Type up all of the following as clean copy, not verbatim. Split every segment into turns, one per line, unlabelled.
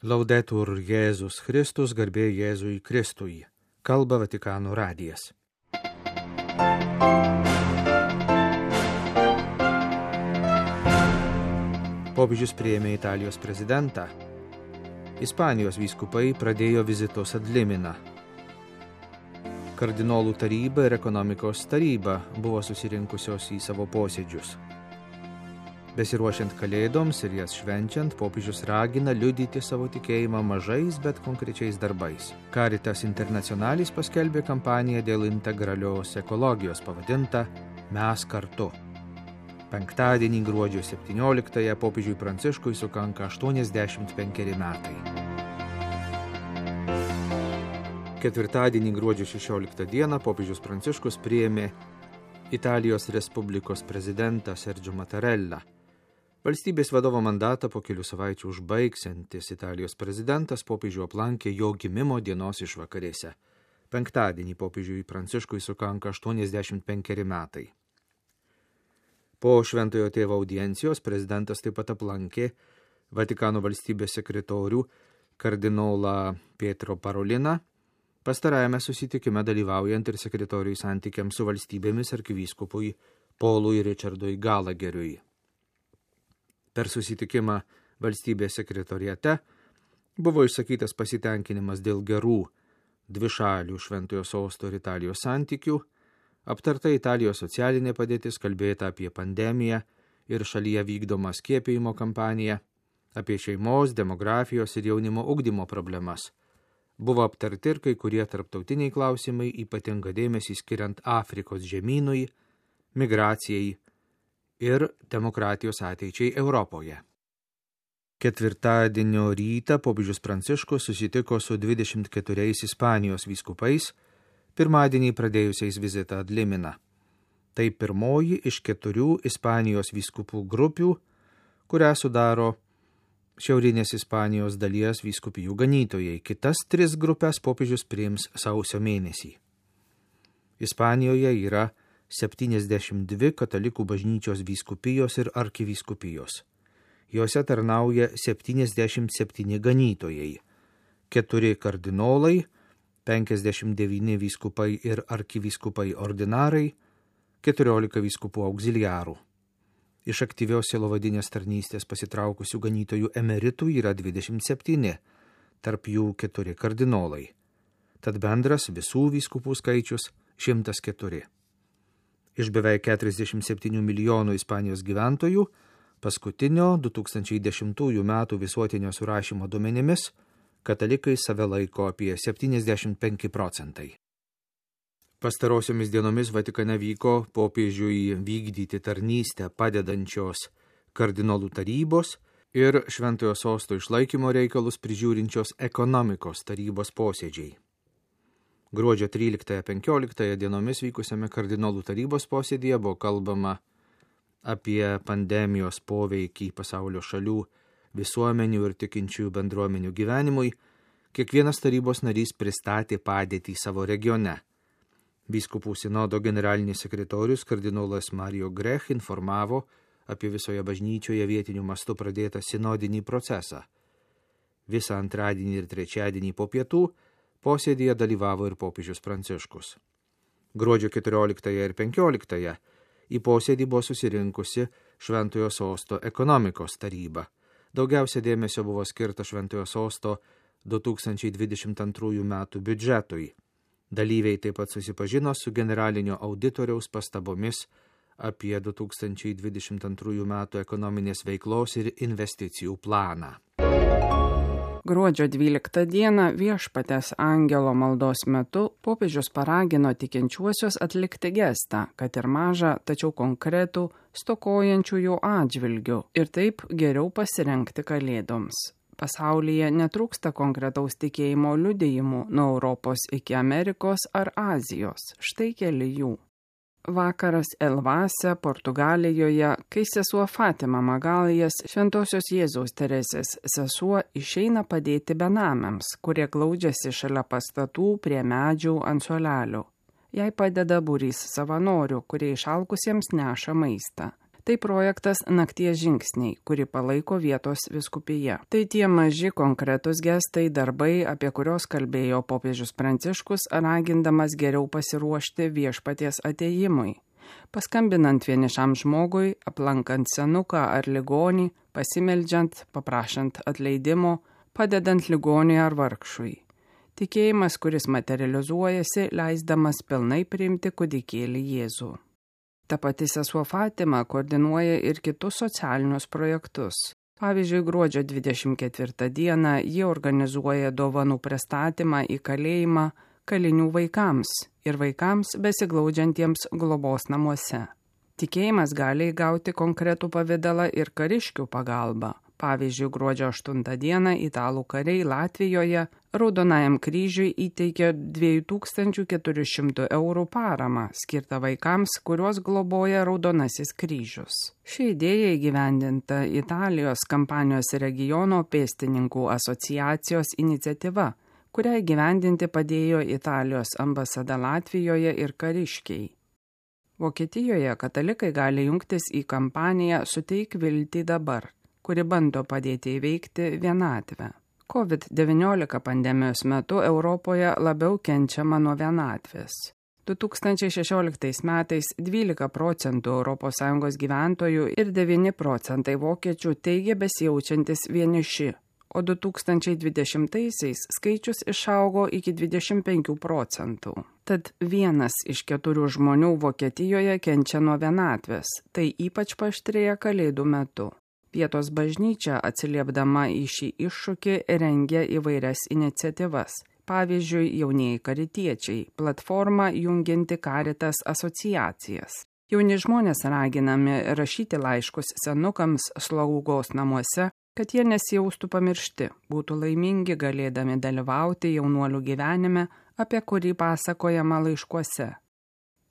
Laudetur Jėzus Kristus, garbė Jėzui Kristui. Kalba Vatikano radijas. Popiežius priėmė Italijos prezidentą. Ispanijos vyskupai pradėjo vizitus ad limina. Kardinolų taryba ir ekonomikos taryba buvo susirinkusios į savo posėdžius. Besiruošiant kalėdoms ir jas švenčiant, popiežius ragina liudyti savo tikėjimą mažais, bet konkrečiais darbais. Caritas Internationalis paskelbė kampaniją dėl integralios ekologijos pavadintą Mes kartu. Penktadienį gruodžio 17-ąją popiežiui Pranciškui sukanka 85 metai. Ketvirtadienį gruodžio 16 dieną popiežius Pranciškus priėmė Italijos Respublikos prezidentą Sergio Mattarellą. Valstybės vadovo mandatą po kelių savaičių užbaigsiantis Italijos prezidentas popiežių aplankė jo gimimo dienos išvakarėse. Penktadienį popiežiui Pranciškui sukanka 85 metai. Po Šventojo tėvo audiencijos prezidentas taip pat aplankė Vatikano valstybės sekretorių kardinolą Pietro Paroliną, pastarajame susitikime dalyvaujant ir sekretoriui santykiams su valstybėmis arkivyskupui Paului Richardui Gallagheriui. Per susitikimą valstybės sekretoriate buvo išsakytas pasitenkinimas dėl gerų dvišalių Šventojo sosto ir Italijos santykių, aptarta Italijos socialinė padėtis, kalbėta apie pandemiją ir šalyje vykdomą skiepijimo kampaniją, apie šeimos, demografijos ir jaunimo ugdymo problemas. Buvo aptarti ir kai kurie tarptautiniai klausimai, ypatingą dėmesį skiriant Afrikos žemynui, migracijai ir demokratijos ateičiai Europoje. Ketvirtadienio rytą popiežius Pranciškus susitiko su 24 Ispanijos vyskupais, pirmadienį pradėjusiais vizitą ad limina. Tai pirmoji iš 4 Ispanijos vyskupų grupių, kurią sudaro šiaurinės Ispanijos dalies vyskupijų ganytojai. Kitas 3 grupės popiežius priims sausio mėnesį. Ispanijoje yra 72 katalikų bažnyčios vyskupijos ir arkivyskupijos. Jose tarnauja 77 ganytojai, 4 kardinolai, 59 vyskupai ir arkivyskupai ordinarai, 14 vyskupų auxiliarų. Iš aktyvios sielovadinės tarnystės pasitraukusių ganytojų emeritų yra 27, tarp jų 4 kardinolai. Tad bendras visų vyskupų skaičius 104. Iš beveik 47 milijonų Ispanijos gyventojų, paskutinio 2010 metų visuotinio surašymo duomenimis, katalikai save laiko apie 75%. Pastarosiomis dienomis Vatikane vyko popiežiui vykdyti tarnystę padedančios kardinolų tarybos ir Šventojo sosto išlaikymo reikalus prižiūrinčios ekonomikos tarybos posėdžiai. Gruodžio 13-15 dienomis vykusiame kardinolų tarybos posėdyje buvo kalbama apie pandemijos poveikį pasaulio šalių, visuomenių ir tikinčiųjų bendruomenių gyvenimui. Kiekvienas tarybos narys pristatė padėtį savo regione. Vyskupų sinodo generalinis sekretorius kardinolas Mario Grech informavo apie visoje bažnyčioje vietiniu mastu pradėtą sinodinį procesą. Visą antradienį ir trečiadienį po pietų posėdyje dalyvavo ir popiežius Pranciškus. Gruodžio 14 ir 15 į posėdį buvo susirinkusi Šventojo sosto ekonomikos taryba. Daugiausia dėmesio buvo skirta Šventojo sosto 2022 metų biudžetui. Dalyviai taip pat susipažino su generalinio auditoriaus pastabomis apie 2022 metų ekonominės veiklos ir investicijų planą.
Gruodžio 12 dieną Viešpaties angelo maldos metu popiežius paragino tikinčiuosius atlikti gestą, kad ir mažą, tačiau konkretų stokojančiųjų atžvilgių ir taip geriau pasirengti kalėdoms. Pasaulyje netrūksta konkretaus tikėjimo liudijimų nuo Europos iki Amerikos ar Azijos. Štai keli jų. Vakaras Elvase, Portugalijoje, kai sesuo Fatima Magalijas, Šventosios Jėzaus Teresės sesuo, išeina padėti benamiams, kurie glaudžiasi šalia pastatų prie medžių ant suolelių. Jai padeda būrys savanorių, kurie išalkusiems neša maistą. Tai projektas Nakties žingsniai, kurį palaiko vietos vyskupija. Tai tie maži konkretus gestai, darbai, apie kurios kalbėjo popiežius Pranciškus, ragindamas geriau pasiruošti viešpaties atėjimui. Paskambinant vienišam žmogui, aplankant senuką ar ligonį, pasimeldžiant, paprašant atleidimo, padedant ligoniui ar vargšui. Tikėjimas, kuris materializuojasi, leisdamas pilnai priimti kūdikėlį Jėzų. Ta pati sesuo Fatima koordinuoja ir kitus socialinius projektus. Pavyzdžiui, gruodžio 24 dieną ji organizuoja dovanų pristatymą į kalėjimą kalinių vaikams ir vaikams besiglaudžiantiems globos namuose. Tikėjimas gali įgauti konkretų pavidalą ir kariškių pagalba. Pavyzdžiui, gruodžio 8 dieną italų kariai Latvijoje Raudonajam kryžiui įteikė 2400 eurų paramą, skirtą vaikams, kuriuos globoja Raudonasis kryžius. Ši idėja įgyvendinta Italijos Kampanijos regiono pėstininkų asociacijos iniciatyva, kurią įgyvendinti padėjo Italijos ambasada Latvijoje ir kariškiai. Vokietijoje katalikai gali jungtis į kampaniją Suteik viltį dabar, kuri bando padėti įveikti vienatvę. COVID-19 pandemijos metu Europoje labiau kenčiama nuo vienatvės. 2016 metais 12% ES gyventojų ir 9% vokiečių teigė besijaučiantis vieniši, o 2020-aisiais skaičius išaugo iki 25%. Tad 1 iš 4 žmonių Vokietijoje kenčia nuo vienatvės, tai ypač paaštrėja Kalėdų metu. Vietos bažnyčia, atsiliepdama į šį iššūkį, rengia įvairias iniciatyvas. Pavyzdžiui, jaunieji karitiečiai, platforma jungianti Caritas asociacijas. Jauni žmonės raginami rašyti laiškus senukams slaugos namuose, kad jie nesijaustų pamiršti, būtų laimingi galėdami dalyvauti jaunuolių gyvenime, apie kurį pasakojama laiškuose.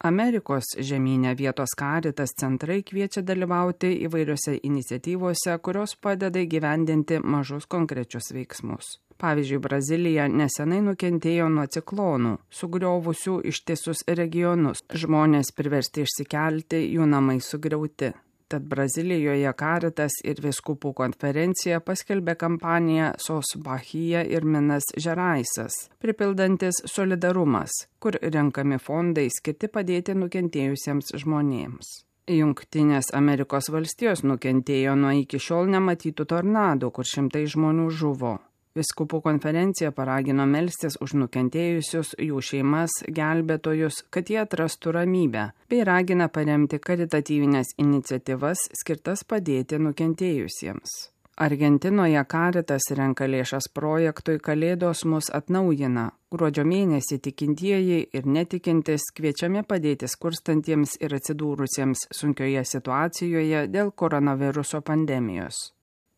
Amerikos žemyne vietos Caritas centrai kviečia dalyvauti įvairiose iniciatyvose, kurios padeda įgyvendinti mažus konkrečius veiksmus. Pavyzdžiui, Brazilija nesenai nukentėjo nuo ciklonų, sugriovusių ištisus regionus. Žmonės priversti išsikelti, jų namai sugriauti. Tad Brazilijoje Caritas ir vyskupų konferencija paskelbė kampaniją Sos Bahia ir Minas Žeraisas, pripildantis solidarumas, kur renkami fondai skirti padėti nukentėjusiems žmonėms. Jungtinės Amerikos valstijos nukentėjo nuo iki šiol nematytų tornadų, kur šimtai žmonių žuvo. Vyskupų konferencija paragino melstis už nukentėjusius, jų šeimas, gelbėtojus, kad jie atrastų ramybę, bei ragina paremti karitatyvinės iniciatyvas skirtas padėti nukentėjusiems. Argentinoje Caritas renka lėšas projektui Kalėdos mus atnaujina. Gruodžio mėnesį tikintieji ir netikintis kviečiami padėti skurstantiems ir atsidūrusiems sunkioje situacijoje dėl koronaviruso pandemijos.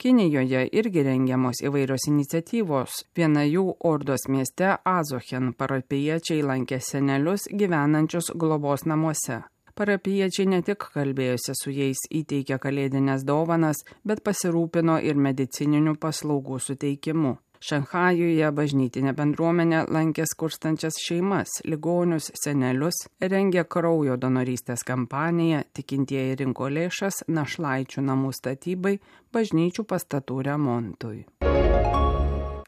Kinijoje irgi rengiamos įvairios iniciatyvos. Viena jų Ordos mieste Azochen parapijiečiai lankė senelius gyvenančius globos namuose. Parapijiečiai ne tik kalbėjosi su jais, įteikė kalėdinės dovanas, bet pasirūpino ir medicininių paslaugų suteikimu. Šanchajuje bažnytinė bendruomenė lankė skurstančias šeimas, ligonius, senelius, rengė kraujo donorystės kampaniją, tikintieji rinko lėšas našlaičių namų statybai, bažnyčių pastatų remontui.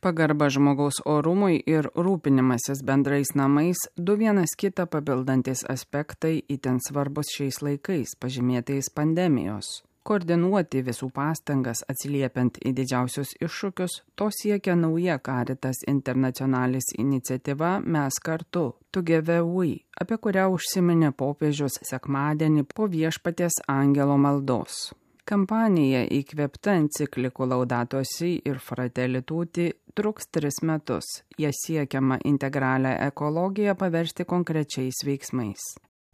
Pagarba žmogaus orumui ir rūpinimasis bendrais namais – du vienas kitą papildantis aspektai itin svarbus šiais laikais, pažymėtais pandemijos. Koordinuoti visų pastangas atsiliepiant į didžiausius iššūkius, to siekia nauja Caritas Internationalis iniciatyva Mes kartu, Together We, apie kurią užsiminė popiežius sekmadienį po Viešpaties angelo maldos. Kampanija įkvėpta enciklikų Laudato Si ir Fratelli Tutti truks 3 metus. Jie siekiama integralią ekologiją paversti konkrečiais veiksmais.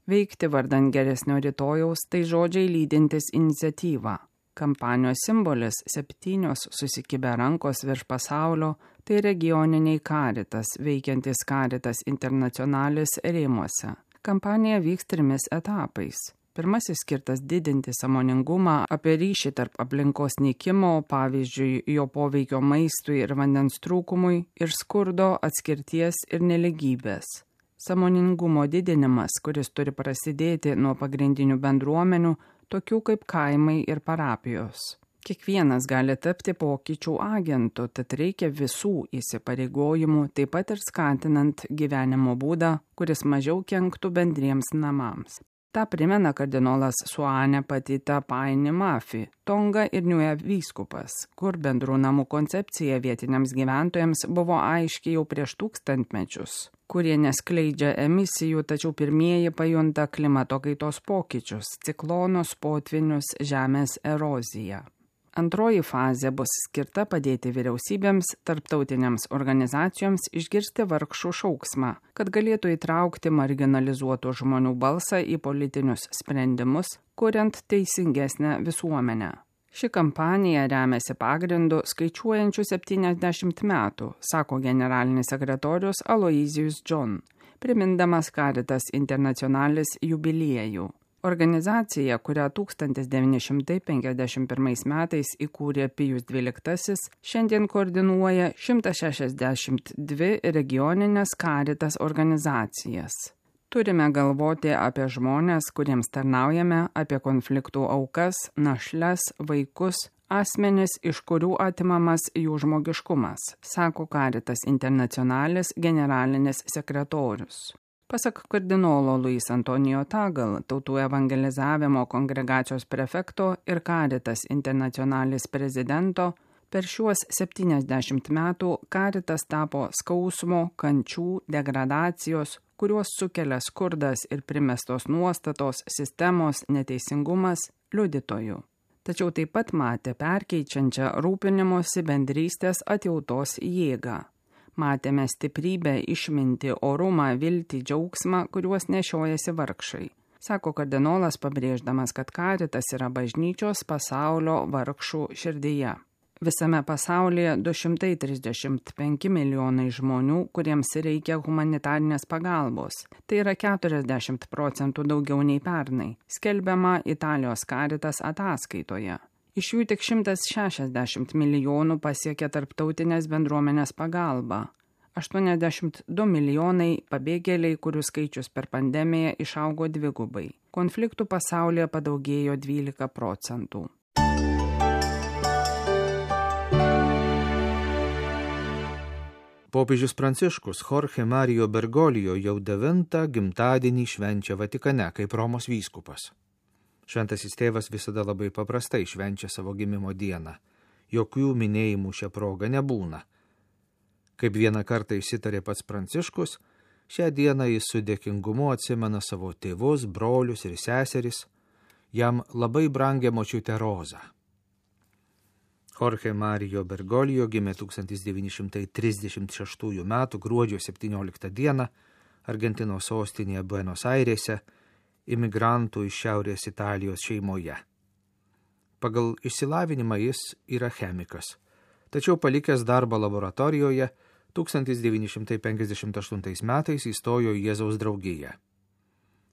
Veikti vardan geresnio rytojaus tai žodžiai lydintis iniciatyvą. Kampanijos simbolis 7 susikibę rankos virš pasaulio tai regioniniai Caritas, veikiantis Caritas Internationalis rėmuose. Kampanija vyks 3 etapais. Pirmasis skirtas didinti sąmoningumą apie ryšį tarp aplinkos nykimo, pavyzdžiui, jo poveikio maistui ir vandens trūkumui, ir skurdo, atskirties ir neligybės. Sąmoningumo didinimas, kuris turi prasidėti nuo pagrindinių bendruomenių, tokių kaip kaimai ir parapijos. Kiekvienas gali tapti pokyčių agentu, tad reikia visų įsipareigojimų, taip pat ir skatinant gyvenimo būdą, kuris mažiau kenktų bendriems namams. Ta primena kardinolas Suane Patita Paini Mafi, Tonga ir Niue vyskupas, kur bendrų namų koncepcija vietiniams gyventojams buvo aiški jau prieš 1000 mečius, kurie neskleidžia emisijų, tačiau pirmieji pajunta klimato kaitos pokyčius, ciklonus, potvinius, žemės eroziją. Antroji fazė bus skirta padėti vyriausybėms, tarptautinėms organizacijoms išgirsti vargšų šauksmą, kad galėtų įtraukti marginalizuotų žmonių balsą į politinius sprendimus, kuriant teisingesnę visuomenę. Ši kampanija remiasi pagrindu skaičiuojančių 70 metų, sako generalinis sekretorius Aloysius John, primindamas Caritas Internationalis jubiliejų. Organizacija, kurią 1951 metais įkūrė Pijus XII, šiandien koordinuoja 162 regioninės Caritas organizacijas. Turime galvoti apie žmones, kuriems tarnaujame, apie konfliktų aukas, našles, vaikus, asmenis, iš kurių atimamas jų žmogiškumas, sako Caritas Internationalis generalinis sekretorius. Pasak kardinolo Luis Antonijo Tagal, tautų evangelizavimo kongregacijos prefekto ir Caritas Internationalis prezidento, per šiuos 70 metų Caritas tapo skausmo, kančių, degradacijos, kuriuos sukelia skurdas ir primestos nuostatos, sistemos, neteisingumas, liudytojų. Tačiau taip pat matė perkeičiančią rūpinimosi bendrystės atjautos jėgą. Matėme stiprybę, išmintį, orumą, viltį, džiaugsmą, kuriuos nešiojasi vargšai. Sako kardinolas, pabrėždamas, kad Caritas yra bažnyčios pasaulio vargšų širdyje. Visame pasaulyje 235 milijonai žmonių, kuriems reikia humanitarinės pagalbos. Tai yra 40% daugiau nei pernai, skelbiama Italijos Caritas ataskaitoje. Iš jų tik 160 milijonų pasiekė tarptautinės bendruomenės pagalba. 82 milijonai pabėgėliai, kurių skaičius per pandemiją išaugo dvigubai. Konfliktų pasaulyje padaugėjo 12%.
Popiežius Pranciškus Jorge Mario Bergoglio jau 9. gimtadienį švenčia Vatikane kaip Romos vyskupas. Šventasis tėvas visada labai paprastai švenčia savo gimimo dieną. Jokių minėjimų šią progą nebūna. Kaip vieną kartą išsitarė pats Pranciškus, šią dieną jis su dėkingumu atsimena savo tėvus, brolius ir seseris, jam labai brangią močiutę Rozą. Jorge Mario Bergoglio gimė 1936 m. gruodžio 17 d. Argentinos sostinėje Buenos Airėse, imigrantų iš Šiaurės Italijos šeimoje. Pagal išsilavinimą jis yra chemikas, tačiau palikęs darbą laboratorijoje 1958 metais įstojo į Jėzaus draugiją.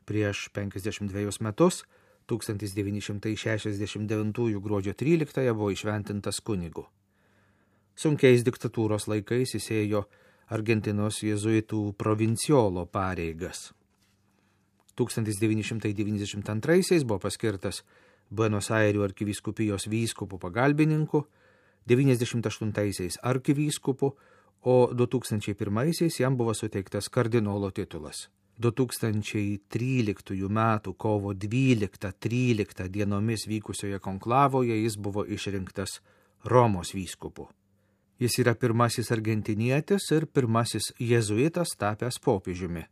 Prieš 52 metus, 1969 gruodžio 13 buvo įšventintas kunigu. Sunkiais diktatūros laikais jis ėjo Argentinos jėzuitų provinciolo pareigas. 1992 buvo paskirtas Buenos Airių arkivyskupijos vyskupų pagalbininku, 1998 arkivyskupu, o 2001 jam buvo suteiktas kardinolo titulas. 2013 m. kovo 12-13 dienomis vykusioje konklavoje jis buvo išrinktas Romos vyskupu. Jis yra pirmasis argentinietis ir pirmasis jėzuitas tapęs popiežiumi.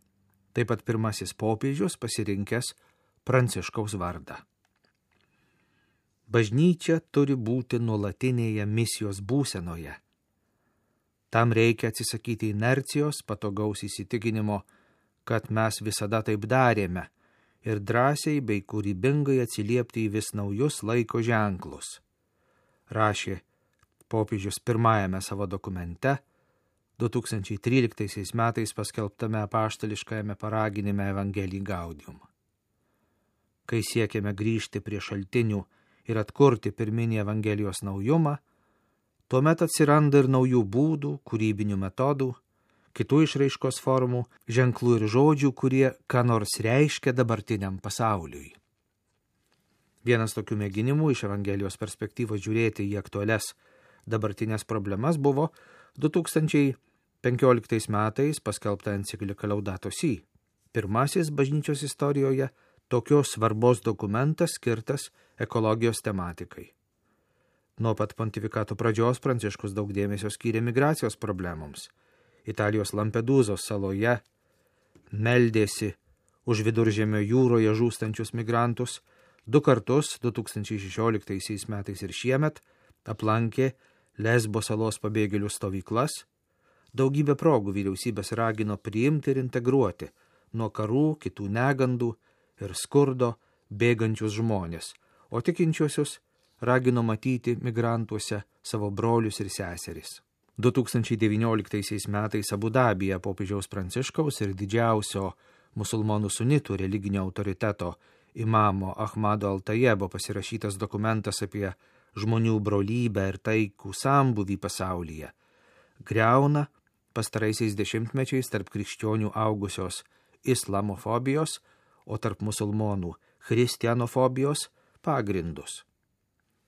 Taip pat pirmasis popiežius pasirinkęs Pranciškaus vardą. Bažnyčia turi būti nuolatinėje misijos būsenoje. Tam reikia atsisakyti inercijos, patogaus įsitikinimo, kad mes visada taip darėme, ir drąsiai bei kūrybingai atsiliepti į vis naujus laiko ženklus, rašė popiežius pirmajame savo dokumente 2013 metais paskelbtame apaštališkajame paraginime Evangelii Gaudium. Kai siekiame grįžti prie šaltinių ir atkurti pirminį Evangelijos naujumą, tuomet atsiranda ir naujų būdų, kūrybinių metodų, kitų išraiškos formų, ženklų ir žodžių, kurie ką nors reiškia dabartiniam pasauliui. Vienas tokių mėginimų iš Evangelijos perspektyvos žiūrėti į aktualias dabartinės problemas buvo 2015 metais paskelbta enciklika Laudato Si. Pirmasis bažnyčios istorijoje tokios svarbos dokumentas skirtas ekologijos tematikai. Nuo pat pontifikato pradžios Pranciškus daug dėmesio skyrė migracijos problemoms. Italijos Lampedūzos saloje meldėsi už Viduržemio jūroje žūstančius migrantus, 2 kartus 2016 metais ir šiemet aplankė Lesbo salos pabėgėlių stovyklas. Daugybę progų vyriausybės ragino priimti ir integruoti nuo karų, kitų negandų ir skurdo bėgančius žmonės, o tikinčiuosius ragino matyti migrantuose savo brolius ir seseris. 2019 metais Abu Dabyje popiežiaus Pranciškaus ir didžiausio musulmonų sunitų religinio autoriteto imamo Ahmado Al-Tajebo pasirašytas dokumentas apie žmonių brolybę ir taikų sambūvį pasaulyje griauna pastaraisiais dešimtmečiais tarp krikščionių augusios islamofobijos, o tarp musulmonų christianofobijos pagrindus.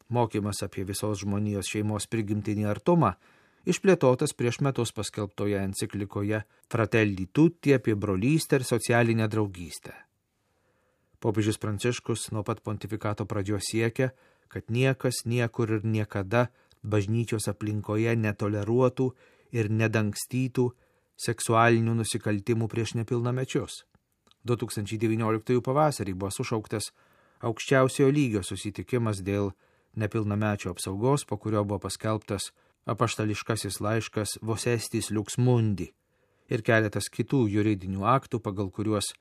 Mokymas apie visos žmonijos šeimos prigimtinį artumą išplėtotas prieš metus paskelbtoje enciklikoje Fratelli Tutti apie brolystę ir socialinę draugystę. Popiežius Pranciškus nuo pat pontifikato pradžios siekia, kad niekas niekur ir niekada bažnyčios aplinkoje netoleruotų ir nedangstytų seksualinių nusikaltimų prieš nepilnamečius. 2019 pavasarį buvo sušauktas aukščiausiojo lygio susitikimas dėl nepilnamečio apsaugos, po kurio buvo paskelbtas apaštališkasis laiškas Vos Estis Lux Mundi ir keletas kitų juridinių aktų, pagal kuriuos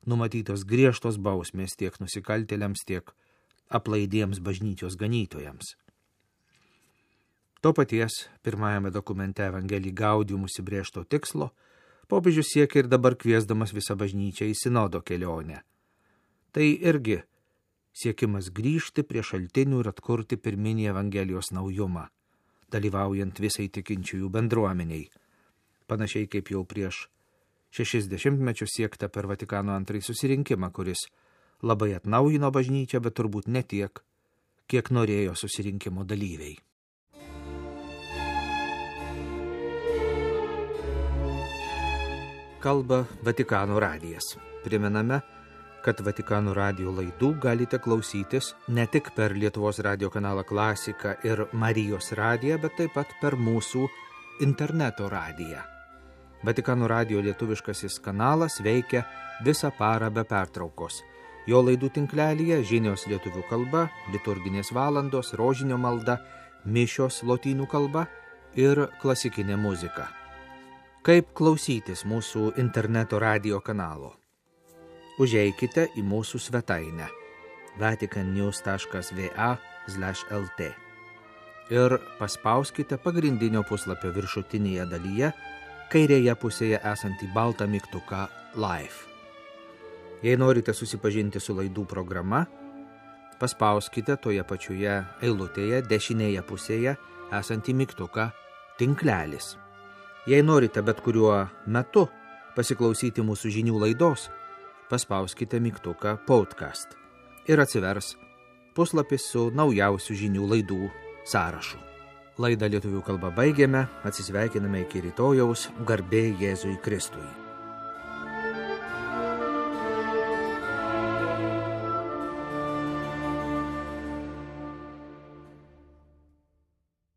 numatytos griežtos bausmės tiek nusikaltėliams, tiek aplaidiems bažnyčios ganytojams. To paties pirmajame dokumente Evangelii Gaudium užsibrėžto tikslo popiežius siekia ir dabar kviesdamas visą bažnyčią į sinodo kelionę. Tai irgi siekimas grįžti prie šaltinių ir atkurti pirminį Evangelijos naujumą, dalyvaujant visai tikinčiųjų bendruomeniai, panašiai kaip jau prieš 60 mečius siekta per Vatikano II susirinkimą, kuris labai atnaujino bažnyčią, bet turbūt ne tiek, kiek norėjo susirinkimo dalyviai. Kalba Vatikano radijas. Primename, kad Vatikano radijo laidų galite klausytis ne tik per Lietuvos radijo kanalą Klasika ir Marijos radiją, bet taip pat per mūsų interneto radiją. Vatikano radijo lietuviškasis kanalas veikia visą parą be pertraukos. Jo laidų tinklelyje žinios lietuvių kalba, liturginės valandos, rožinio malda, mišios lotynų kalba ir klasikinė muzika. Kaip klausytis mūsų interneto radijo kanalo? Užeikite į mūsų svetainę vaticannews.va/lt ir paspauskite pagrindinio puslapio viršutinėje dalyje kairėje pusėje esantį baltą mygtuką Live. Jei norite susipažinti su laidų programa, paspauskite toje pačioje eilutėje dešinėje pusėje esantį mygtuką Tinklelis. Jei norite bet kuriuo metu pasiklausyti mūsų žinių laidos, paspauskite mygtuką Podcast ir atsivers puslapis su naujausių žinių laidų sąrašu. Laidą lietuvių kalba baigėme, atsisveikiname iki rytojaus, garbė Jėzui Kristui.